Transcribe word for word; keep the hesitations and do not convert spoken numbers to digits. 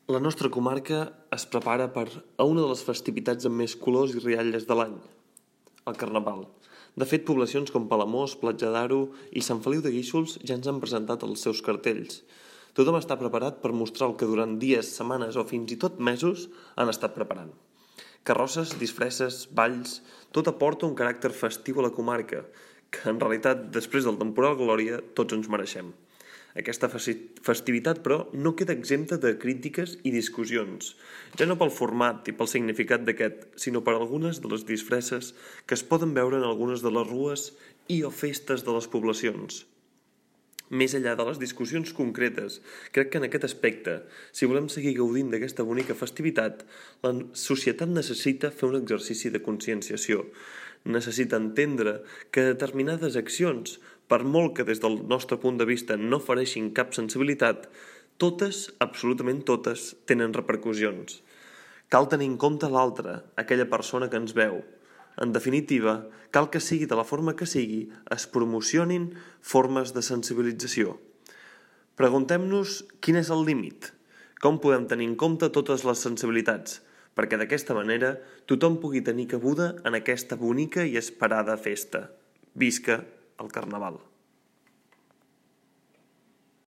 La nostra comarca es prepara per a una de les festivitats amb més colors i rialles de l'any, el Carnaval. De fet, poblacions com Palamós, Platja d'Aro i Sant Feliu de Guíxols ja ens han presentat els seus cartells. Tothom està preparat per mostrar el que durant dies, setmanes o fins i tot mesos han estat preparant. Carrosses, disfresses, balls, tot aporta un caràcter festiu a la comarca, que en realitat, després del temporal Glòria, tots ens mereixem. Aquesta festivitat, però, no queda exempta de crítiques i discussions, ja no pel format i pel significat d'aquest, sinó per algunes de les disfresses que es poden veure en algunes de les rues i o festes de les poblacions. Més enllà de les discussions concretes, crec que en aquest aspecte, si volem seguir gaudint d'aquesta bonica festivitat, la societat necessita fer un exercici de conscienciació. Necessita entendre que determinades accions, per molt que des del nostre punt de vista no ofereixin cap sensibilitat, totes, absolutament totes, tenen repercussions. Cal tenir en compte l'altre, aquella persona que ens veu. En definitiva, cal que sigui de la forma que sigui, es promocionin formes de sensibilització. Preguntem-nos quin és el límit, com podem tenir en compte totes les sensibilitats, perquè d'aquesta manera tothom pugui tenir cabuda en aquesta bonica i esperada festa. Visca el Carnaval!